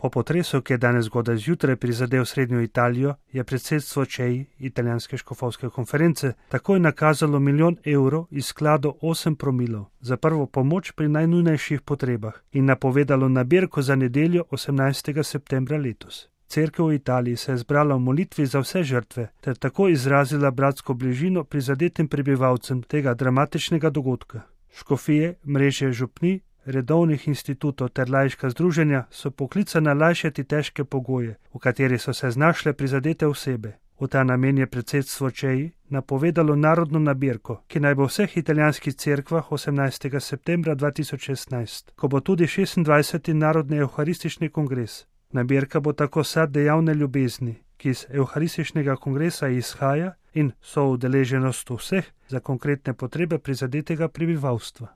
Po potresu, ki je danes zgodaj zjutraj prizadel srednjo Italijo, je predsedstvo CEI, italijanske škofovske konference, takoj nakazalo €1 milijon iz sklada 8 promilov za prvo pomoč pri najnujnejših potrebah in napovedalo nabirko za nedeljo 18. septembra letos. Cerkev v Italiji se je zbrala v molitvi za vse žrtve ter tako izrazila bratsko bližino prizadetim prebivalcem tega dramatičnega dogodka. Škofije, mreže župnij, redovnih institutov ter laiška združenja so poklicana lajšati težke pogoje, v katerih so se znašle prizadete osebe. V ta namen je predsedstvo CEI napovedalo narodno nabirko, ki naj bo v vseh italijanskih cerkvah 18. septembra 2016, ko bo tudi 26. narodni evharistični kongres. Nabirka bo tako sad dejavne ljubezni, ki iz evharističnega kongresa izhaja in so udeleženost vseh za konkretne potrebe prizadetega prebivalstva.